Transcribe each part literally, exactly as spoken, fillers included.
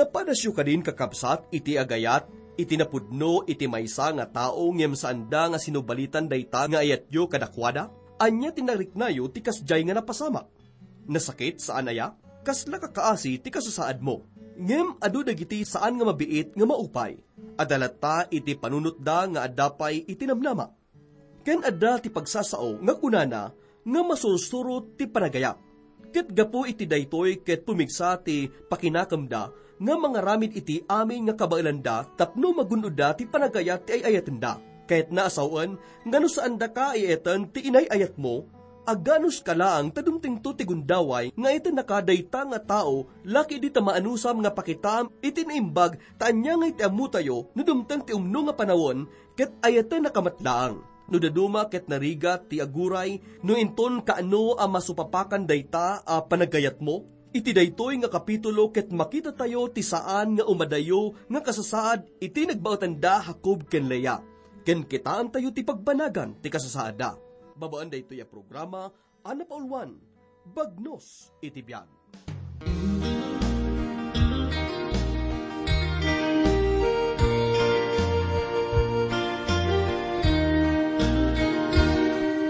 Padasyo kadin, kakabsat, iti agayat iti napudno iti maysa nga tao ngem saanda nga sinubalitan dayta nga ayatyo kadakuada? Ania ti nariknayo ti kasdiay nga napasamak? Nasakit, saan aya? Kasla kakaasi ti kasasaadmo. Ngem adu dagiti saan nga mabiit nga maupay. Adda latta iti panunotda nga adda pay iti namnama. Ken adda ti pagsasao nga kunana nga masursurot ti panagayat. Ket gapu iti daytoy ket pumigsa ti pakinakemda nga mangaramid iti amin nga kabaelanda tapno magun-odda ti panagayat ti ay-ayatenda. Kayatna a sawen nga no saandaka ay-ayaten ti inay-ayatmo, aganuska laeng ta dumtengto ti gundaway nga ayatennaka dayta nga tao la ketdi ta maanusam nga pakitaam iti naimbag ta ania nga iti ammotayo no dumteng ti umno nga panawen ket ayatennaka met laeng. No daduma ket narigat ti aguray, no inton kaano a masupapakan dayta a panagayatmo? Iti daytoy nga kapitulo ket makitatayo ti saan nga umadayo nga kasasaad iti nagbaetan da Jacob ken Lea. Ken kitaentayo ti pagbanagan ti kasasaadda. Babaen daytoy a programa, a napauluan, Bagnos iti Biag.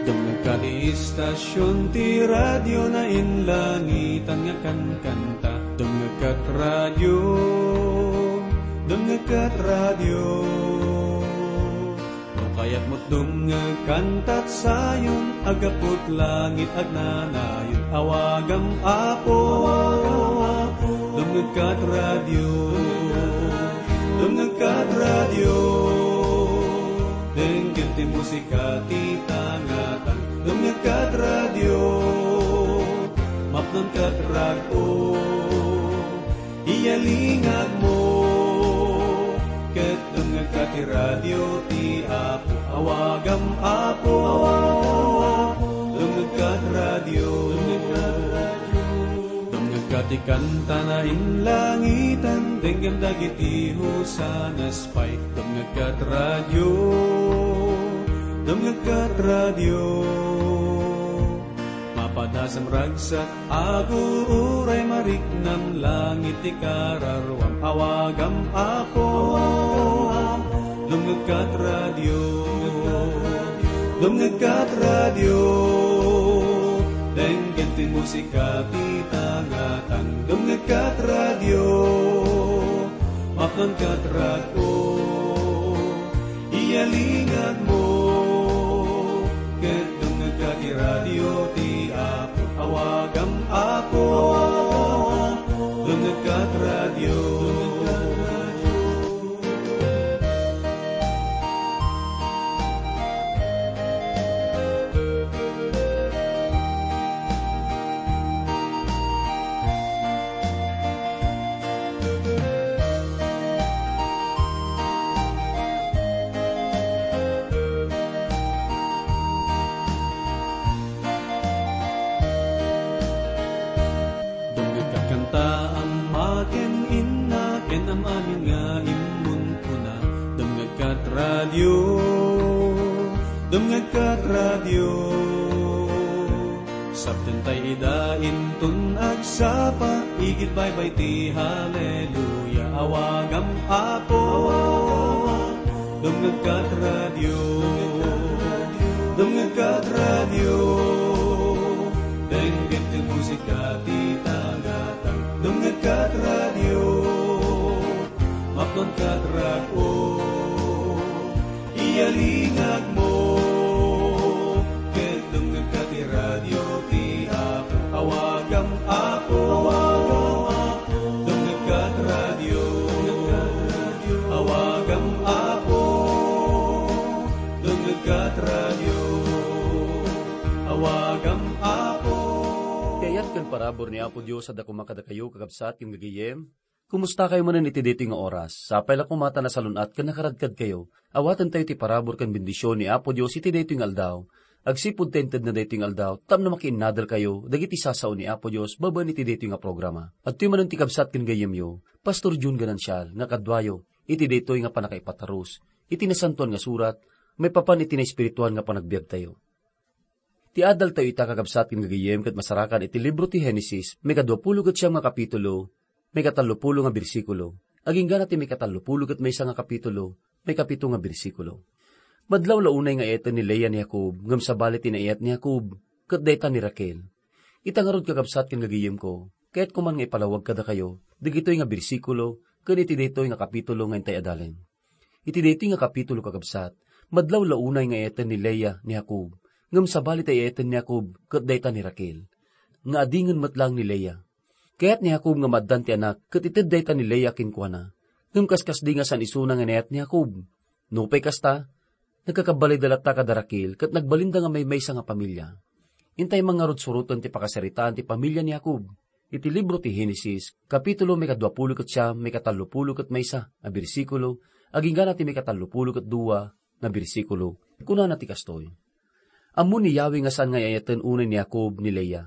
Dumngegka ti istasion ti radio, nainlangitan nga kankanta. Dumngegka ti radio, dumngegka ti radio. No kayatmo ti dumngeg kantat sayon, aggapu ti langit agnanayon. Awagam, Apo, dumngegka ti radio, dumngegka ti radio. Denggem ti musika ti tangatang, dumngegka ti radio, mapnonka ti rag-o. Iyalingagmo, ket dumngegka ti radio ti Apo. Awagam, Apo, dumngegka ti radio. Dumngegka ti kanta, nainlangitan, denggem dagiti hosanas pay. Dumngegka ti radio, dumngegka ti radio. Mapadasam ragsak, agururay, mariknam langit ti kararwam. Awagam, Apo, dumngegka ti radio, dumngegka ti radio. Denggem ti musika ti tangatang, dumngegka ti radio, mapnonka ti rag-o. Iyalingagmo, ket dumngegka ti radio ti Apo. Awagam, Apo, dumngegka ti radio. Dumngegka ti kanta, ama ken inna, ken am-amin nga immun-una. Dumngegka ti radio, dumngegka ti radio. Saptentay ida inton agsapa, igid baybay ti haleluya. Awagam, Apo, dumngegka ti radio, dumngegka ti radio. Denggem ti musika ti tangatang, dumngegka ti radio, mapnonka ti rag-o. Iyalingagmo, ket dumngegka ti radio ti Apo. Awagam, Apo, dumngegka ti radio. Awagam, Apo, dumngegka ti radio. Awagam, Apo. Ti ayat ken parabur ni Apo Dios adda koma kadakayo, kakabsat ken gagayyem. Kumustakayo manen iti daytoy nga oras? Sapay la koma ta nasalun-at ken nakaradkadkayo. Awatentayo ti parabur ken bendision ni Apo Dios iti daytoy nga aldaw. Agsipud ta intedna daytoy nga aldaw tapno makiinnadelkayo dagiti sasao ni Apo Dios babaen iti daytoy nga programa. Adtoy manen ti kabsat ken gayyemyo, Pastor Jun Ganancial, nga kaduayo iti daytoy nga pannakaipatarus iti Nasantoan nga Surat maipapan iti naespirituan nga panagbiagtayo. Ti adaltayo ita, kakabsat ken gagayyem, ket masarakan iti libro ti Genesis, maikadua pulo ket siam nga kapitulo, maikatallopulo nga bersikulo, agingga na ti maikatallopulo ket maysa nga kapitulo, maikapito nga bersikulo. Madlaw la unay nga ayaten ni Lea ni Jacob, ngem sabali ti naayat ni Jacob, ket dayta ni Raquel. Ita ngarud, kakabsat ken gagayemko, kayatko man nga ipalawag kadakayo dagitoy nga bersikulo ken iti daytoy nga kapitulo nga intay adalen. Iti daytoy nga kapitulo, kakabsat, madlaw la unay nga ayaten ni Lea ni Jacob, ngem sabali ti ayaten ni Jacob ket dayta ni Raquel, nga adingen met laeng ni Lea. Kayat ni Jacob nga maaddan ti anak ket ited dayta ni Lea kenkuana. Ngem kaskasdi nga saan isuna nga inayat ni Jacob. Nupay kasta, nagkakabalayda latta kada Raquel ket nagbalinda nga maymaysa nga pamilia. Intay man ngarud suroten ti pakasaritaan ti pamilia ni Jacob. Iti libro ti Genesis, kapitulo maikaduapulo ket siam, maikatallopulo ket maysa a bersikulo, agingga na ti maikatallopulo ket dua nga bersikulo. Kunana ti kastoy: Ammo ni Yahweh nga saan nga ay-ayaten unay ni Jacob ni Lea.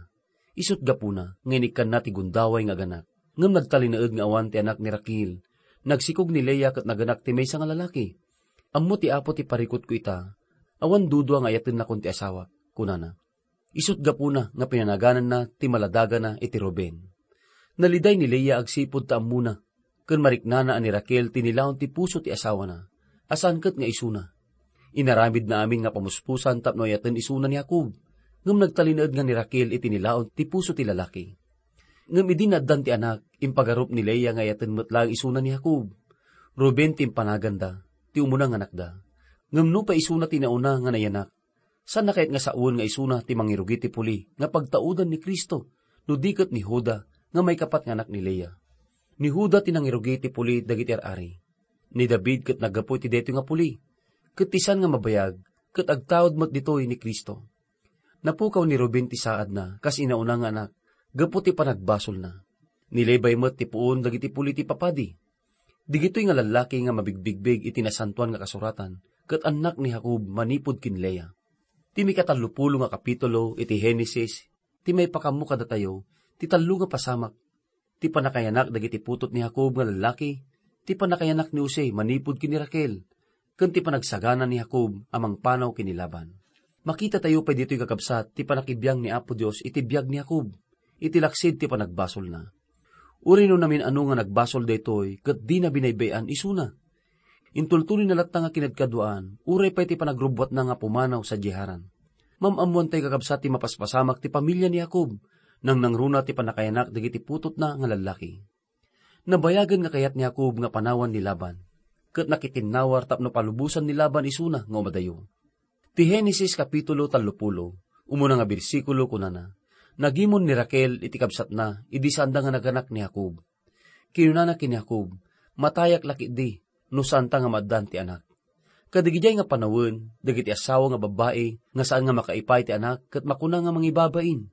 Isut' gapuna nga inikkanna ti gundaway nga aganak. Ngem nagtalinaed nga awan ti anak ni Raquel. Nagsikog ni Lea ket naganak ti maysa nga lalaki. Ammo ti Apo ti parikutko ita. Awan dudua nga ayatennakon ti asawak, kunana. Isut' gapuna nga pinanagananna ti maladagana iti Ruben. Naliday ni Lea agsipud ta ammona ken mariknana a ni Raquel ti nilaon ti puso ti asawana, a saan ket nga isuna. Inaramidna amin nga pamuspusan tapno ayaten isuna ni Jacob, ngem nagtalinaed nga ni Raquel iti nilaon ti puso ti lalaki. Ngem idi naaddan ti anak, impagarup ni Lea nga ayaten met laeng isuna ni Jacob. Ruben ti impanaganda, ti umuna nga anakda. Ngem nupay isuna ti nauna nga nayanak, saanna kayat nga sawen nga isuna ti mangirugi ti puli nga pagtaudan ni Cristo, no di ket ni Juda nga maikapat nga anak ni Lea? Ni Juda ti nangirugi ti puli dagiti ar-ari. Ni David ket naggapu iti daytoy nga puli, ket ti saan nga mabayag ket agtaud met ditoy ni Cristo. Napukaw ni Ruben ti saadna kas inauna nga anak gapu ti panagbasolna. Ni Levi met ti puon dagiti puli ti papadi. Digitoy nga lallaki nga mabigbigbig iti Nasantoan nga Kasuratan ket annak ni Jacob manipud ken Lea. Ti mikatallopulo nga kapitulo iti Genesis ti maipakammo kadatayo ti tallo nga pasamak: ti pannakayanak dagiti putot ni Jacob nga lallaki, ti pannakayanak ni Jose manipud ken ni Raquel, ken ti panagsagana ni Jacob a mangpanaw ken ni Laban. Makitatayo pay ditoy, kakabsat, ti pannakibiang ni Apo Dios iti biag ni Jacob, iti laksid ti panagbasolna. Uray no namin-ano nga nagbasol daytoy ket dina binaybay-an isuna. Intultuloyna latta nga kinadkaduaan, uray pay ti panagrubbuatna nga pumanaw sadiay Haran. Mam-ammoantayo, kakabsat, ti mapaspasamak ti pamilia ni Jacob, nangnangruna ti pannakayanak dagiti putotna nga lallaki. Nabayagen nga kayat ni Jacob nga panawan ni Laban, ket nakitinnawar tapno palubosan ni Laban isuna nga umadayo. Ti Genesis kapitulo tallopulo, umuna nga bersikulo, kunana: Nagimon ni Raquel iti kabsatna idi saanda nga naganak ni Jacob. Kinunana ken ni Jacob, "Matayak la ketdi no saanta nga maaddan ti anak." Kadagidiay nga panawen, dagiti asawa nga babbai nga saan nga makaipay ti anak ket makuna nga mangibabain.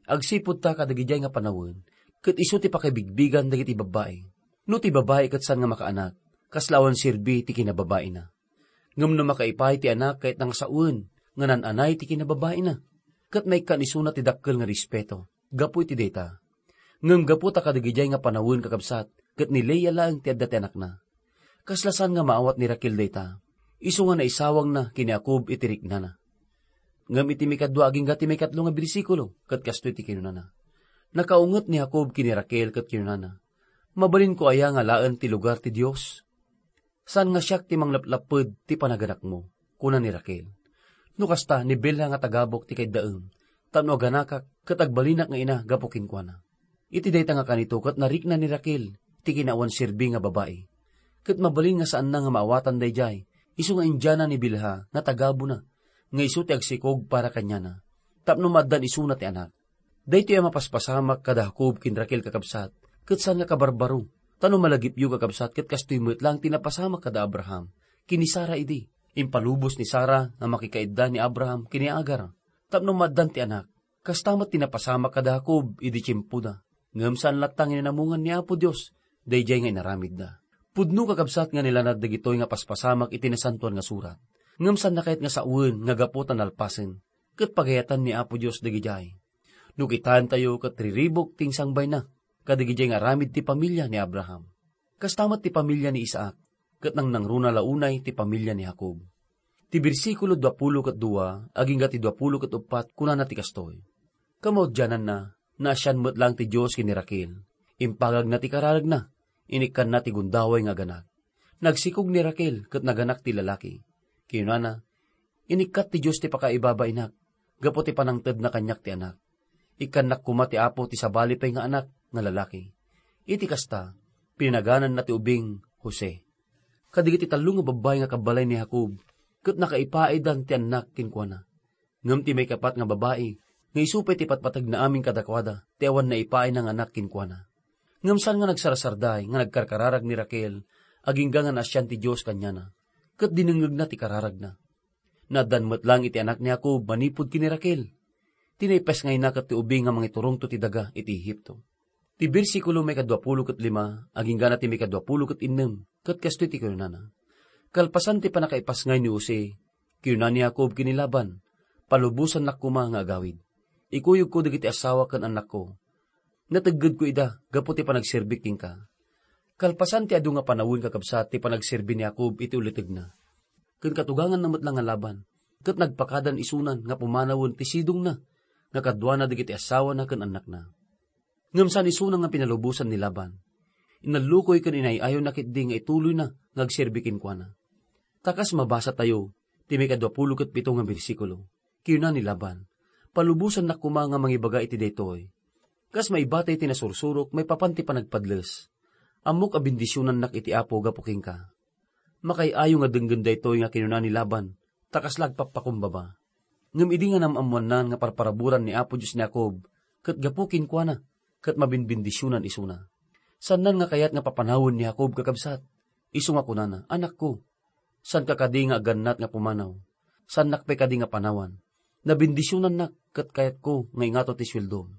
Agsipud ta kadagidiay nga panawen, ket isu ti pakibigbigan dagiti babbai. No ti babai ket saan nga makaanak, kasla awan serbi ti kinababaina. Ngem no makaipay ti anak, kayatna nga sawen nga naan-anay ti kinababaina, ket maikkan isuna ti dakkel nga respeto. Gapu iti dayta, ngem gapu ta kadagidiay nga panawen, kakabsat, ket ni Lea laeng ti adda ti anakna. Kasla saan nga maawat ni Raquel dayta, isu nga naisawangna ken ni Jacob iti riknana. Ngem iti mikadua agingga ti maikatlo nga bersikulo, ket kastoy ti kinunana: Nakaunget ni Jacob ken ni Raquel ket kinunana, "Mabalinko aya nga alaen ti lugar ti Dios? Saan nga siak ti manglaplapped ti panaganakmo," kuna ni Raquel. No kasta, ni Bilha nga tagabuk ti kaiddaem, tapno aganakak ket agbalinak nga ina gapu kenkuana. Iti dayta nga kanito ket narikna ni Raquel ti kinaawan serbi nga babai. Ket mabalin nga saanna nga maawatan daydiay, isu nga indiana ni Bilha nga tagabuna, nga isu ti agsikog para kaniana, tapno maaddan isuna ti anak. Daytoy a mapaspasamak kada Jacob ken Raquel, kakabsat, ket saan nga kabarbaro. Ta no malagipyo, kakabsat, ket kastoy met laeng ti napasamak kada Abraham ken ni Sara idi impalubos ni Sara nga makikaidda ni Abraham ken ni Agar tapno maaddan ti anak. Kasta met ti napasamak kada Jacob idi tiempoda. Ngem saan latta nga inamungan ni Apo Dios daydiay nga inaramidda. Pudno, kakabsat, nga nilanad dagitoy nga paspasamak iti Nasantoan nga Surat. Ngem saanna kayat nga sawen nga gapu ta nalpasen ket pagayatan ni Apo Dios dagidiay. No kitaentayo, ket riribuk ti insangbayna kadagidiay nga aramid ti pamilia ni Abraham. Kasta met ti pamilia ni Isaac, ket nangnangruna la unay ti pamilia ni Jacob. Ti bersikulo duapulo ket dua agingga ti duapulo ket uppat kunana ti kastoy: Kamaudiananna, naasian met laeng ti Dios ken ni Raquel. Impagagna ti kararagna, inikkanna ti gundaway nga aganak. Nagsikog ni Raquel ket naganak ti lalaki. Kinunana, "Inikkat ti Dios ti pakaibabainak, gapu ti panangtedna kaniak ti anak. Ikkannak koma ti Apo ti sabali pay nga anak nga lalaki." Iti kasta, pinagananna ti ubing Jose. Kadagiti tallo nga babbai nga kabbalay ni Jacob, ket nakaipaidan ti annak kenkuana. Ngem ti maikapat nga babai, nga isu pay ti patpategna amin kadakuada, ti awan naipaay nga anak kenkuana. Ngem saan nga nagsarsarday nga nagkarkararag ni Raquel, agingga nga naasian ti Dios kaniana, ket dinengngegna ti kararagna. Naaddan met lang iti anak ni Jacob manipud ken ni Raquel. Ti naipesngayna ket ti ubing nga mangiturongto ti daga iti Egipto. Ti bersikulo maikadua pulo ket lima, agingga na ti maikadua pulo ket innem, ket kastoy ti kunana, "Kalpasan ti pannakaipasngay ni Jose, kinuna ni Jacob ken ni Laban, 'Palubosannak koma nga agawid. Ikuyogko dagiti asawa ken annakko. Nateggedko ida gapu ti panagserbik kenka.'" Kalpasan ti adu nga panawen, kakabsat, ti panagserbi ni Jacob iti ulitegna, ken katuganganna met lang nga Laban, ket nagpakadan isunan nga pumanawen ti sidongna nga kaduana dagiti asawana ken annakna. Ngem saan isuna nga pinalubosan ni Laban. Inallukoy ken inay-ayonna ketdi nga ituloyna nga agserbi kenkuana. Ta kas mabasatayo, ti maikadua pulo ket pito nga bersikulo, kinuna ni Laban, "Palubosannak koma nga mangibaga iti daytoy. Kas maibatay ti nasursurok maipapan ti panagpadles. Ammok a bendisionannak iti Apo gapu kenka." Makaay-ayo nga denggen daytoy nga kinuna ni Laban, ta kasla agpappakumbaba. Ngem idi nga nam-ammoannan nga parparaburan ni Apo Dios ni Jacob, ket gapu kenkuana, ket mabinbendisionan isuna. Saannan nga kayat nga papanawen ni Jacob, kakabsat. Isu nga kunana, "Anakko, saanka kadi nga agannat nga pumanaw? Saannak pay kadi nga panawan? Nabendisionannak, ket kayatko nga ingato ti sueldom."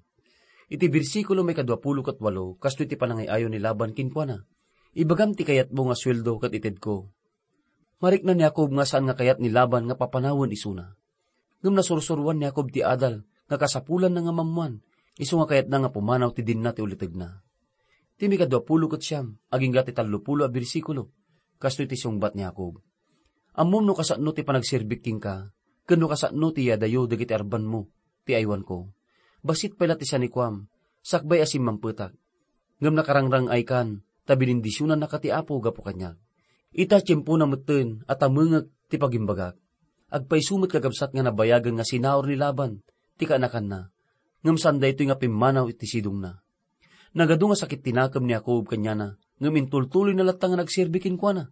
Iti bersikulo maikadua pulo ket walo, kastoy ti panangay-ayo ni Laban kenkuana, "Ibagam ti kayatmo nga sueldo ket itedko." Marikna ni Jacob nga saan nga kayat ni Laban nga papanawen isuna. Ngem nasursuroan ni Jacob ti adal nga kasapulanna nga mammuan, isu nga kayatna nga pumanaw ti dinna ti ulitegna. Ti maikadua pulo ket siam, agingga ti tallo pulo a bersikulo, kastoy ti sungbat ni Jacob, "Ammom no kasano ti panagserbik kenka, ken no kasano ti yadayo dagiti arbanmo ti aywanko. Bassit pay la ti sanikuam, sakbay a simmampetak. Ngem nakarangrang-aykan, ta binindisionannaka ti Apo gapu kaniak. Ita, tiempona metten a tamengek ti pagimbagak." Agpayso met, kakabsat, nga nabayagen nga sinaur ni Laban ti kaanakanna, ngem saan daytoy nga pimmanaw iti sidongna. Nagadu nga sakit ti nakem ni Jacob kaniana, ngem intultuloyna latta nga nagserbi kenkuana.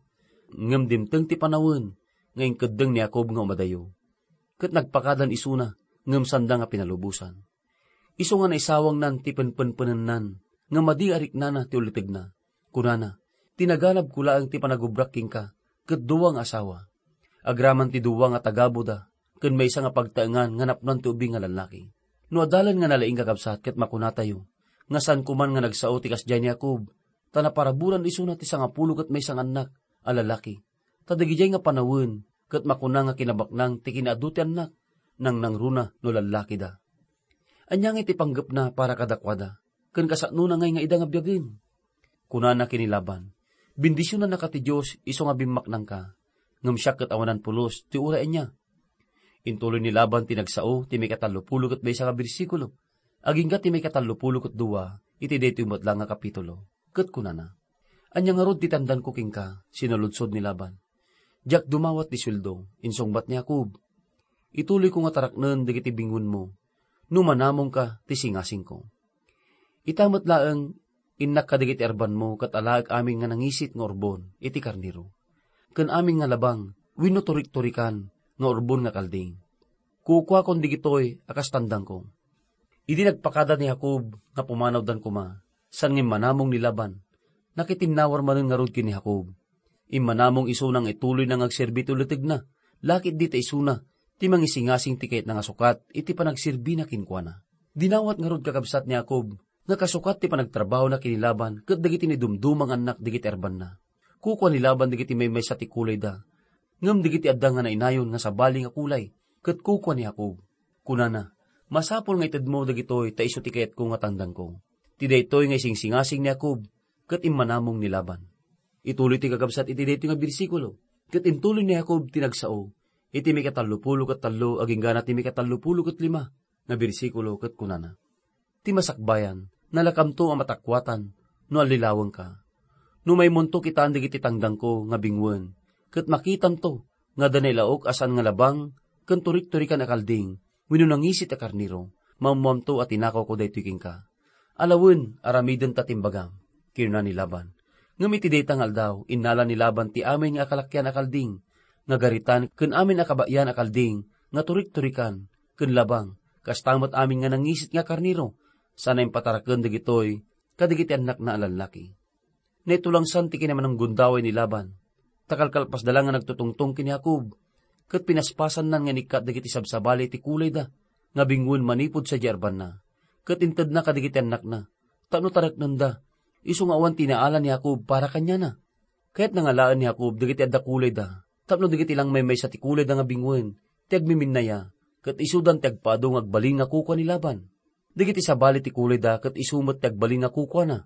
Ngem dimteng ti panawen nga inkeddeng ni Jacob nga umadayo, ket nagpakadan isuna, ngem sanda nga pinalubosan. Isu nga naisawangnan ti penpenpenennan nga madi a riknana ti ulitegna. Kunana, "Ti naganabko laeng ti panagubrak kenka ket dua nga asawa. Agraman ti dua nga tagabuda ken maysa nga pagtaengan nga napnoan ti ubing nga lallaki." No adalen nga nalaing, kakabsat, ket makunatayo nga saan koman nga nagsao ti kasdiay ni Jacob, ta naparaburan isuna ti sangapulo ket maysa nga annak a lalaki. Ta dagidiay nga panawen ket makuna nga kinabaknang ti kinaadu ti annak, nangnangruna no lallakida. Ania ngay ti panggepna para kadakuada, ken kasano na ngay nga ida nga biagen? Kunana ken ni Laban, "Bendisionannaka ti Dios isu nga bimmaknangka, ngem siak ket awanan pulos ti uray ania." Intuloy ni Laban ti nagsao ti maikatallopulo ket maysa nga bersikulo, agingga ti maikatallopulo ket dua iti daytoy met la nga kapitulo, ket kunana, "Ania ngarud ti tandanko kenka?" Sinaludsod ni Laban. "Diak dumawat ti sueldo," insungbat ni Jacob. "Ituloyko nga taraknen dagiti bingonmo no manamongka ti singasingko. Ita met laeng, innak kadagiti arbanmo ket alaek amin nga nangisit nga urbon iti karnero, ken amin nga labang wenno turik-torikan nga urbon nga kalding. Kukuakon dagitoy a kas tandangko." Idi nagpakada ni Jacob nga pumanawdan koma, saan nga immanamong ni Laban, nakitinnawar manen ngarud ken ni Jacob. Immanamong isuna nga ituloyna nga agserbi ti ulitegna, lakit dita isuna ti mangisingasing ti kayatna nga sukat iti panagserbina kenkuana. Dinawat ngarud, kakabsat, ni Jacob nga kasukat ti panagtrabahona ken ni Laban ket dagiti naidumduma nga annak dagiti arbanna. Kukua ni Laban dagiti maymaysa ti kulayda, ngem dagiti adda nga nainayon nga sabali nga kulay, ket kukua ni Jacob. Kunana, "Masapul nga itedmo dagitoy ta isu ti kayatko nga tandangko." Ti daytoy nga isingsingasing ni Jacob ket immanamong ni Laban. Ituloy ti kakabsat iti daytoy nga bersikulo, ket intuloy ni Jacob ti nagsao iti maikatallopulo ket tallo agingga na ti maikatallopulo ket lima nga bersikulo ket kunana, "Ti masakbayan, nalakamto a matakuatan no allilawengka. No maymonto kitaen dagiti tangdangko nga binguen, ket makitamto nga adda nailaok a saan nga labang ken turik-turikan a kalding wenno nangisit a karnero, maammoamto a tinakawko daytoy kenka. Alawen, aramidenta ti imbagam, kinuna ni Laban. Ngem iti dayta nga aldaw, innala ni Laban ti amin nga akalakian a kalding nga garitan ken amin a kabaean a kalding nga turik-turikan ken labang, kasta met amin nga nangisit nga karnero, sana impataraken dagitoy kadagiti annakna a lallaki. Naitulangsan ti kinamnamgundaway ni Laban, ta kalkalpasda la nga nagtutungtong ken ni Jacob, ket pinaspasanna nga inikkat dagiti sabsabali ti kulayda nga binguen manipud sadiay arbanna, ket intedna kadagiti annakna tapno tareknenda, isu nga awan ti inaala ni Jacob para kaniana. Kayatna nga alaen ni Jacob dagiti adda kulayda, tapno dagiti langmaymaysa ti kulayda nga binguen ti agmiminnaya, ket isudan ti agpaadu nga agbalin nga kukua ni Laban. Dagiti sabali ti kulayda ket isu met ti agbalin nga kukuana.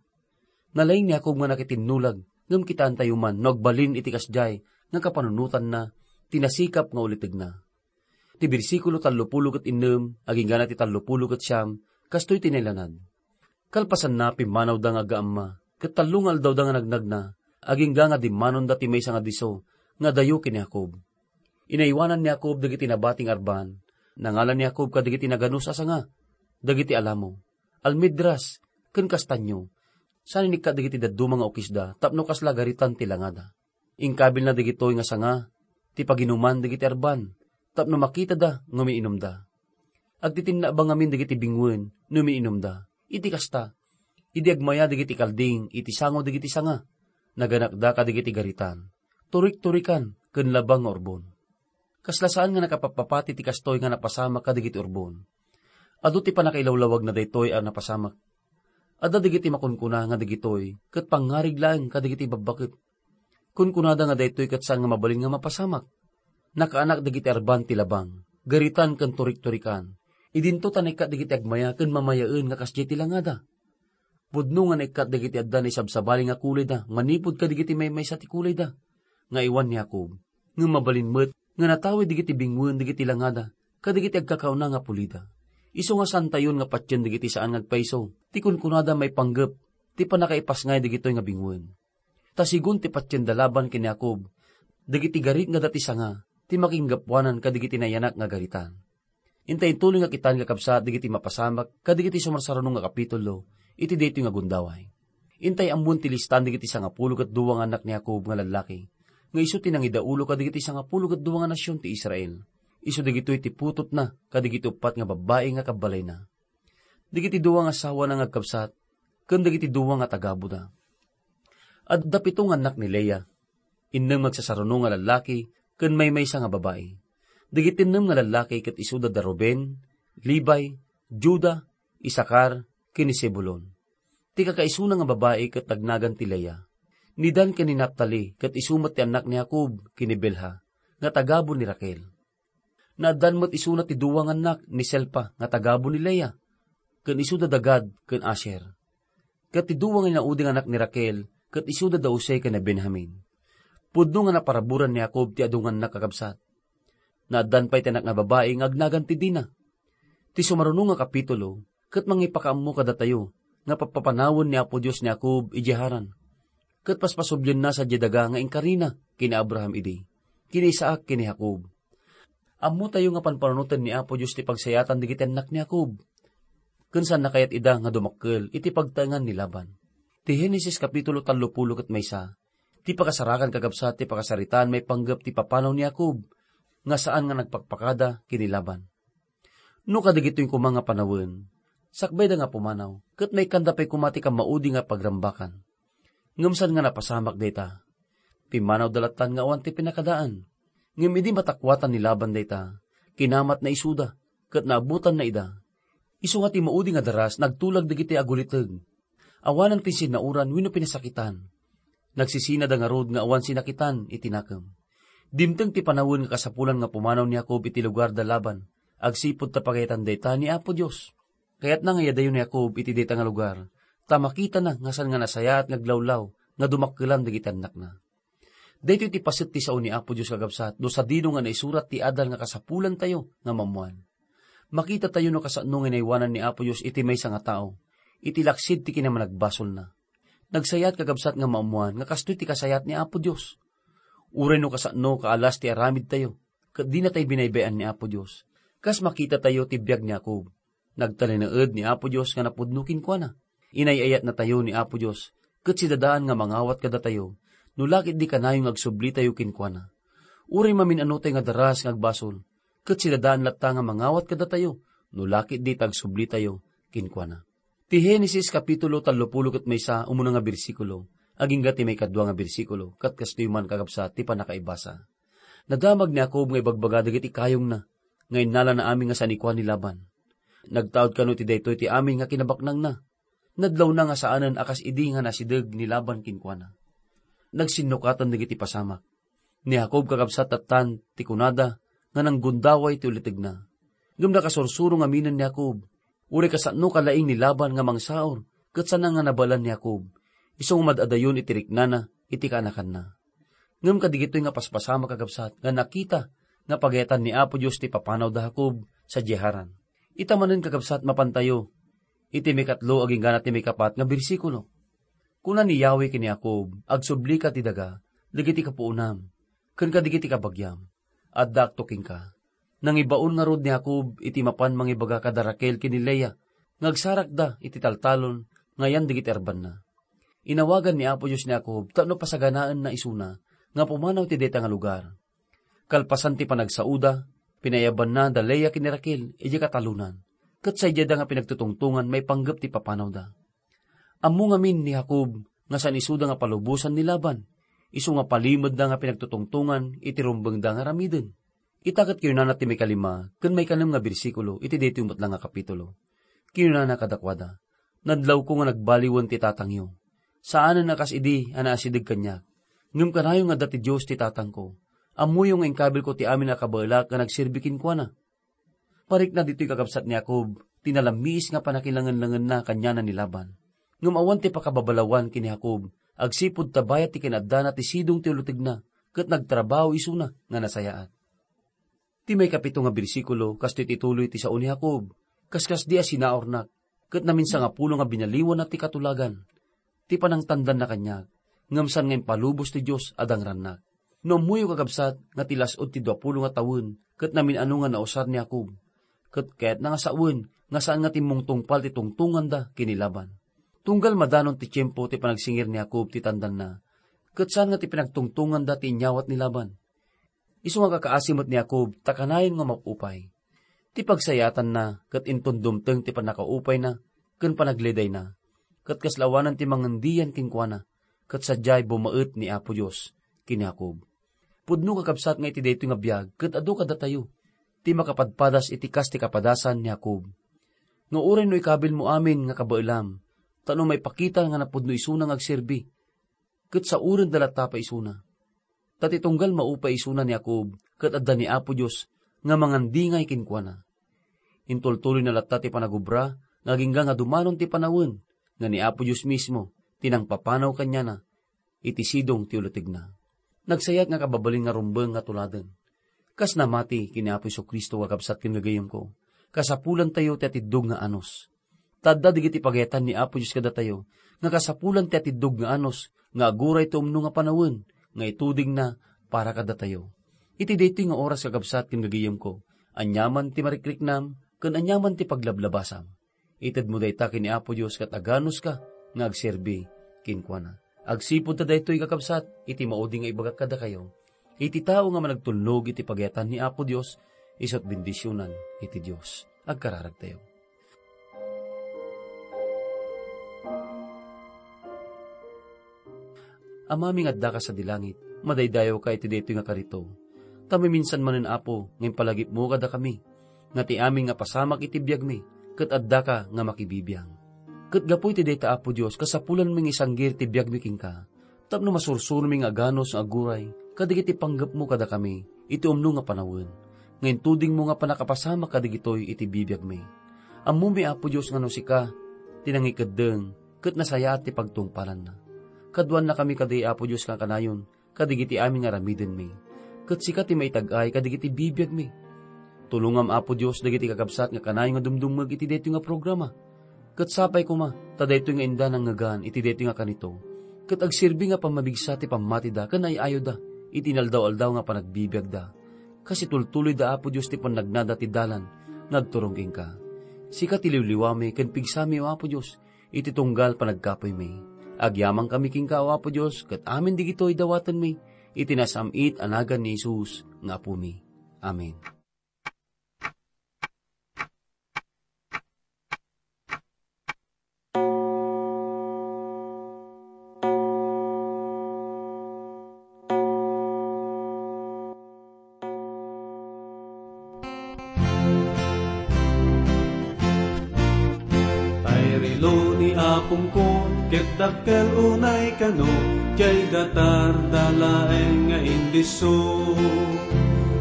Nalaing ni Jacob nga nakitinnulag, ngem kitaentayo man no agbalin iti kasdiay nga kapanunotanna ti nasikap nga ulitegna. Ti bersikulo tallopulo ket innem, aginggana ti tallopulo ket siam, kastoy ti nailanad. Kalpasanna, pimmanawda nga agaamma, ket tallo nga aldawda nga nagnagna, agingga nga dimmanonda ti maysa nga disso nga adayo ken ni Jacob. Inaywanan ni Jacob dagiti nabati nga arban. Nangalan ni Jacob kadagiti naganus a sanga, dagiti alamo, almedras, ken kastanio. Saan inikkat dagiti dadduma nga ukisda tapno kasla garitan ti langada. Inkabilna dagitoy nga sanga ti paginuman dagiti arban tapno makitada nga umiinumda. Agtitinnaba ngamin dagiti binguen no umiinumda. Iti kasta, idi agmaya dagiti kalding iti sango dagiti sanga, naganakda kadagiti garitan, turik-turikan, ken labang nga urbon. Kasla saan nga nakapappapati ti kastoy nga napasamak kadagiti urbon. Adu ti pannakailawlawagna daytoy a napasamak. Adda dagiti makunkuna nga dagitoy ket pangngarig laeng kadagiti babbaket. Kunkunada nga daytoy ket saan nga mabalin nga mapasamak. Nakaanak dagiti arban ti labang, garitan ken turik-turikan. Idinto ta naikkat dagiti agmaya ken mamayaen nga kasdiay ti langada. Pudno nga naikkat dagiti adda naisabsabali nga kulayda manipud kadagiti maymaysa ti kulayda nga iwan ni Jacob, ngem mabalin met nga natawid dagiti binguen dagiti langada kadagiti agkakauna nga pulida. Isu nga saantayon nga patien dagiti saan nga agpayso ti kunkunada maipanggep ti pannakaipasngay dagitoy nga binguen. Ta sigun ti patien da Laban ken ni Jacob, dagiti garit nga dati sanga ti makinggapuanan kadagiti nayanak nga garitan. Intay intuloy nga kitaan, kakabsat, dagiti mapasamak kadagiti sumarsarano nga kapitulo iti daytoy nga gundaway. Intay ammon ti listan dagiti sangapulo ket dua nga annak ni Jacob nga lallaki, nga isu ti nangidaulo kadagiti sangapulo ket dua nga nasion ti Israel. Isu dagitoy ti putotna kadagiti uppat nga babbai nga kabbalayna. Dagiti dua nga asawana nga agkabsat, ken dagiti dua nga tagabuda. Adda pito nga annak ni Lea, innem nga agsasaruno nga lallaki ken maymaysa nga babai. Dagiti innem nga lallaki ket isuda da Ruben, Levi, Juda, Isakar, ken ni Zebulon. Ti kakaisuna nga babai ket nagnagan ti Lea. Ni Dan ken ni Naftali ket isu met ti annak ni Jacob ken ni Bilha, nga tagabu ni Raquel. Naaddan met isuna ti dua nga annak ni Selpa nga tagabu ni Lea, ken isuda da Gad ken Asher. Ket ti dua nga inaudi nga annak ni Raquel ket isuda da Jose ken ni Benjamin. Pudno nga naparaburan ni Jacob ti adu nga annak, kakabsat. Naaddan pay ti annak nga babai nga agnagan ti Dina. Ti sumaruno nga kapitulo ket mangipakaammo kadatayo nga pappapanawen ni Apo Dios ni Jacob idiay Haran. Ket paspasublienna sadiay daga nga inkarina ken ni Abraham idi, ken ni Isaac ken ni Jacob. Ammotayo nga panpanunoten ni Apo Dios ti pagsayatan dagiti annak ni Jacob, ken saanna kayat ida nga dumakkel iti pagtaengan ni Laban. Ti Genesis kapitulo tallopulo ket maysa, ti pakasarakan, kakabsat, ti pakasaritaan maipanggep ti papanaw ni Jacob nga saan nga nagpakpakada ken ni Laban. No kadagitoy koma nga panawen, sakbayda nga pumanaw, ket maikkanda pay koma ti kammaudi nga pagrambakan. Ngem saan nga napasamak dayta. Pimmanawda lattan nga awan ti pinakadaan. Ngem idi matakuatan ni Laban dayta, kinamatna isuda, ket naabutanna ida. Isu nga ti maudi nga daras, nagtulag dagiti aguliteg. Awanan ti sinnaoran wenno pinasakitan. Nagsisinada ngarud nga awan sinakitan iti nakem. Dimteng ti panawen nga kasapulan nga pumanaw ni Jacob iti lugar da Laban, agsipud ta pagayatanna dayta ni Apo Dios. Kayatna nga iyadayo ni Jacob iti dayta nga lugar, ta makitana nga saan nga nasayaat nga aglawlaw nga dumakkelan dagiti annakna. Daytoy ti paset ti sao ni Apo Dios, kakabsat, no sadino nga naisurat ti adal nga kasapulantayo nga maammoan. Makitatayo no kasano nga inaywanan ni Apo Dios iti maysa nga tao, iti laksid ti kinamanagbasolna. Nagsayat, kakabsat, nga maammoan nga kastoy ti kasayat ni Apo Dios. Uray no kasano kaalas ti aramidtayo, ket dinatay binaybay-an ni Apo Dios, kas makitatayo ti biag ni Jacob. Nagtalinaed ni Apo Dios nga napudno kenkuana. Inay-ayatnatayo ni Apo Dios, ket sidadaan nga mangawat kadatayo, no la ketdi kanayon nga agsublitayo kenkuana. Uray mamin-anotay nga daras nga agbasol, ket sidadaan latta nga mangawat kadatayo, no la ketdi ta agsublitayo kenkuana. Ti Genesis kapitulo tallopulo ket maysa, umuna nga bersikulo, agingga ti maikadua nga bersikulo, ket kastoy man, kakabsat, ti pannakaibasa. Nadamag ni Jacob nga ibagbaga dagiti kayongna, nga innalana amin nga sanikuan ni Laban. Nagtaud kano iti daytoy ti amin nga kinabaknangna. Nadlawna nga saanen a kas idi nga nasideg ni Laban kenkuana. Nagsinnukaten dagiti pasamak. Ni Jacob, kakabsat, tattan ti kunada nga nanggundaway ti ulitegna. Ngem nakasursuro ngaminen ni Jacob. Uray kasano kalaing ni Laban nga mangsaur, ket sana nga nabaelan ni Jacob, isu nga mad-adayon iti riknana iti kaanakanna. Ngem kadagitoy nga paspasamak, kakabsat, nga nakita nga pagayatan ni Apo Dios ti papanawda Jacob sadiay Haran. Ita manen, kakabsat, mapantayo iti maikatlo agingga ti maikapat nga bersikulo. Kuna ni Yahweh ken ni Jacob, "Agsublika ti daga dagiti kapuonam ken kadagiti kabagiam. Addaakto kenka." Nangibaon ngarud ni Jacob iti mapan mangibaga kada Raquel ken ni Lea nga agsarakda iti taltalon nga ayan dagiti arbanna. Inawagan ni Apo Dios ni Jacob tapno pasaganaenna isuna nga pumanaw iti dayta nga lugar. Kalpasan ti panagsaoda, pinaiyabanna da Lea ken ni Raquel idiay katalonan, ket saydayda nga pinagtutungtongan maipanggep ti papanawda. Ammo ngamin ni Jacob nga saan isuda nga palubosan ni Laban, isu nga palimedna nga pinagtutungtongan iti rumbengda nga aramiden. Ita ket kinunana ti maikalima ken maikanem nga bersikulo iti daytoy met la nga kapitulo. Kinunana kadakuada, "Nadlawko nga nagbaliwen ti tatangyo. Saanen a kas idi a naasideg kaniak. Ngem kanayon nga adda ti Dios ti tatangko. Ammoyo nga inkabilko ti amin a kabaelak nga nagserbi kenkuana." Parikna ditoy, kakabsat, ni Jacob ti nalammiis nga pannakilangenlangenna kaniana ni Laban. Ngem awan ti pakababalawan ken ni Jacob agsipud ta bayat ti kinaaddana ti sidong ti ulitegna ket nagtrabaho isuna nga nasayaat. Ti maikapito nga bersikulo, kastoy ti tuloy ti sao ni Jacob, "Kaskasdi a sinaurnak, ket naminsangapulo nga binaliwanna ti katulagan ti panangtandanna kaniak, ngem saan nga impalubos ti Dios a dangrannak." No ammoyo, kakabsat, nga ti las-ud ti duapulo nga tawen ket namin-ano nga nausar ni Jacob, ket kayatna nga sawen nga saan nga timmungtungpal ti tungtonganda ken ni Laban. Tunggal madanon ti tiempo ti panagsingir ni Jacob ti tandanna, ket saan nga ti pinagtungtonganda ti inyawat ni Laban. Isu nga kakaasi met ni Jacob ta kanayon nga mapupay. Ti pagsayaatanna ket inton dumteng ti pannakaupayna ken panagledayna, ket kasla awanan ti mangendian kenkuana, ket sadiay bumaet ni Apo Dios ken ni Jacob. Pudno, kakabsat, nga iti daytoy nga biag ket adu kadatayo ti makapadpadas iti kas ti kapadasan ni Jacob. Nga uray no ikabilmo amin nga kabaelam, tapno maipakita nga napudno isuna nga agserbi, ket saurenda latta pay isuna. Ta ti tunggal maupay isuna ni Jacob ket adda ni Apo Dios nga mangandingay kenkuana. Intultuloyna latta ti panagubra nga agingga nga dumanon ti panawen nga ni Apo Dios mismo ti nangpapanaw kaniana iti sidong ti ulitegna. Nagsayat nga kababalin nga rumbeng nga tuladen. Kas namati ken ni Apo Jesu-Cristo, kakabsat ken gagayemko, kasapulantayo ti atiddog nga anus. Ta adda dagiti pagayatan ni Apo Dios kadatayo nga kasapulan ti atiddog nga anus nga aguray ti umno nga panawen nga itudingna para kadatayo. Iti daytoy nga oras, kakabsat ken gagayemko, aniaman ti marikriknam ken aniaman ti paglablabasam, itedmo dayta ken ni Apo Dios ket aganuska nga agserbi kenkuana. Agsipud ta daytoy, kakabsat, iti maudi nga ibagak kadakayo, iti tao nga managtulnog iti pagayatan ni Apo Dios, isu't bendisionan iti Dios. Agkararagtayo. Amami nga addaka sadi langit, madaydayawka iti daytoy nga karito. Ta maminsan manen, Apo, nga impalagipmo kadakami, nga ti amin nga pasamak iti biagmi, ket addaka nga makibibiang. Ket gapu iti dayta, Apo Dios, kasapulanmi nga isanggir ti biagmi kenka, tapno masursuromi nga aganus nga aguray kadagiti panggepmo kadakami iti umno nga panawen, nga intudingmo nga pannakapasamak kadagitoy iti bibiagmi. Ammomi, Apo Dios, nga no sika ti nangikeddeng ket nasayaat ti pagtungpalanna. Kaduannakami kadi, Apo Dios, nga kanayon kadagiti amin nga aramidenmi. Ket sika ti maitag-ay kadagiti bibiagmi. Tulongam, Apo Dios, dagiti kakabsat nga kanayon nga dumdumngeg iti daytoy nga programa. Ket sapay koma ta daytoy nga inda nangngegan iti daytoy nga kanito, ket agserbi nga pammabigsa ti pammatida ken ay-ayoda iti inaldaw-aldaw nga panagbibiagda, kas itultuloyda, Apo Dios, ti pannagnada ti dalan nga agturong kenka. Sika ti liwliwami ken pigsami, O Apo Dios, iti tunggal panagkapuymi. Agyamankami kenka, O Apo Dios, ket amin digitoy dawatenmi iti nasam-it a nagan ni Jesus nga Apomi. Amen. Tay rilo ni apongko, ket dakkel unay kano, diay datarda laeng nga indisso.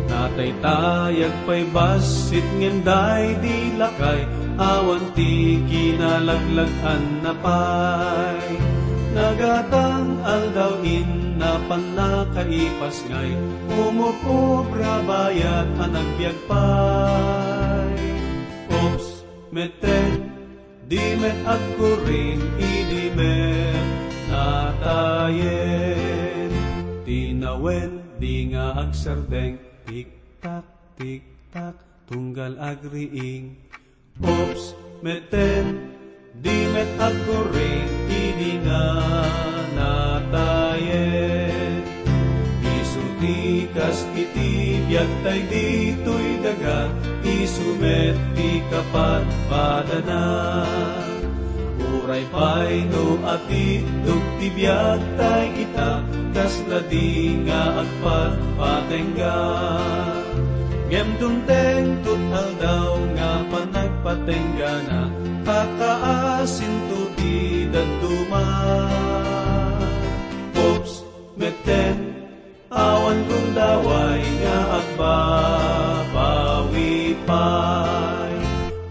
Nataytayag pay bassit ngem daydi lakay, awan ti kinalaglag-anna pay. Nagatang aldaw inna pannakaipasngay, umub-ubra bayat a nagbiag pay. Oops, metten, di met agkuring idi met natayen. Tinawen, di nga agsardeng, tik-tak, tik-tak, tunggal agriing. Oops, metten, di met agkuring idi nga natayen. Isu ti kas iti biag tay ditoy daga, isu met ti kapadpadana. Uray pay no atiddog ti biag tay ita, kasla di nga agpatpatengga. Ngem dumteng tut aldaw nga panagpatenggana, kakaasinto ti dadduma. Oops, metten, awan gundaway nga agbabawi pay.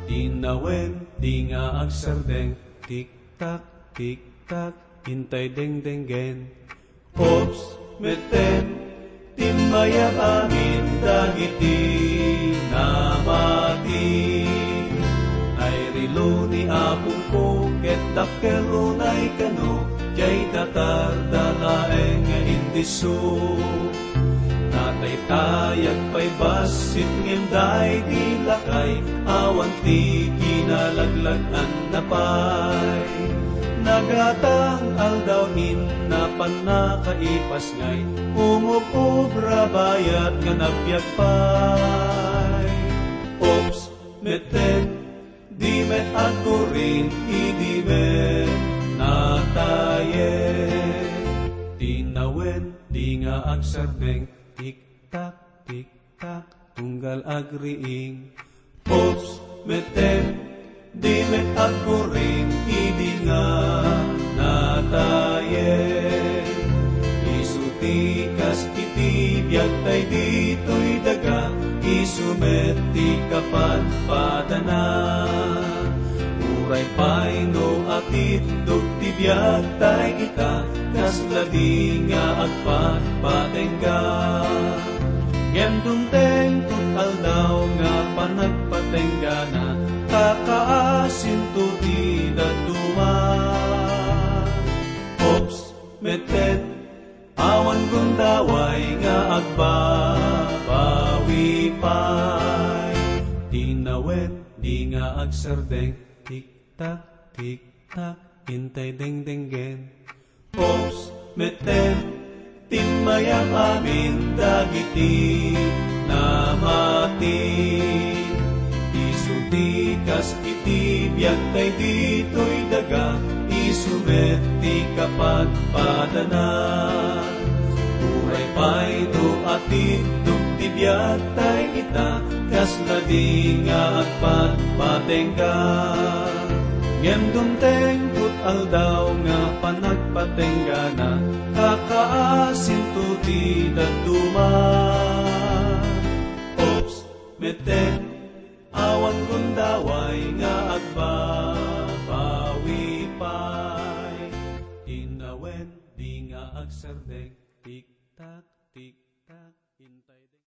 Tinawen, di nga agsardeng, tik-tak, tik-tak, intay dengdenggen. Oops, metten, timmayag amin dagiti namati. Tay rilo ni apongko ket dakkel unay kano, diay datarda laeng nga indisso. Nataytayag pay bassit ngem daydi lakay, awan ti kinalaglag-anna pay. Nagatang aldaw inna pannakaipasngay, umub-ubra bayat nga nagbiag pay. Oops, metten, di met agkuring idi met natayen. Tinawen, di nga agsardeng, tik-tak, tik-tak, tunggal agriing. Oops, metten, di met agkuring idi nga natayen. Isu ti kas iti biag tay ditoy daga, isu met ti kapadpadana. Uray pay no atiddog ti biag tay ita, kasla di nga agpatpatengga. Ngem dumteng tut aldaw nga panagpatenggana, kakaasinto ti dadduma. Oops, metten, awan gundaway nga agbabawi pay. Tinawen, di nga agsardeng, tik-tak, tik-tak, intay dengdenggen. Oops, metten, timmayag amin dagiti namati. Isu ti kas iti biag tay ditoy daga, isu met ti kapadpadana. Uray pay no atiddog ti biag tay ita, kasla di nga agpatpatengga. Ngem dumteng tut aldaw nga panagpatenggana, kakaasinto ti dadduma. Oops, metten, awan gundaway nga agba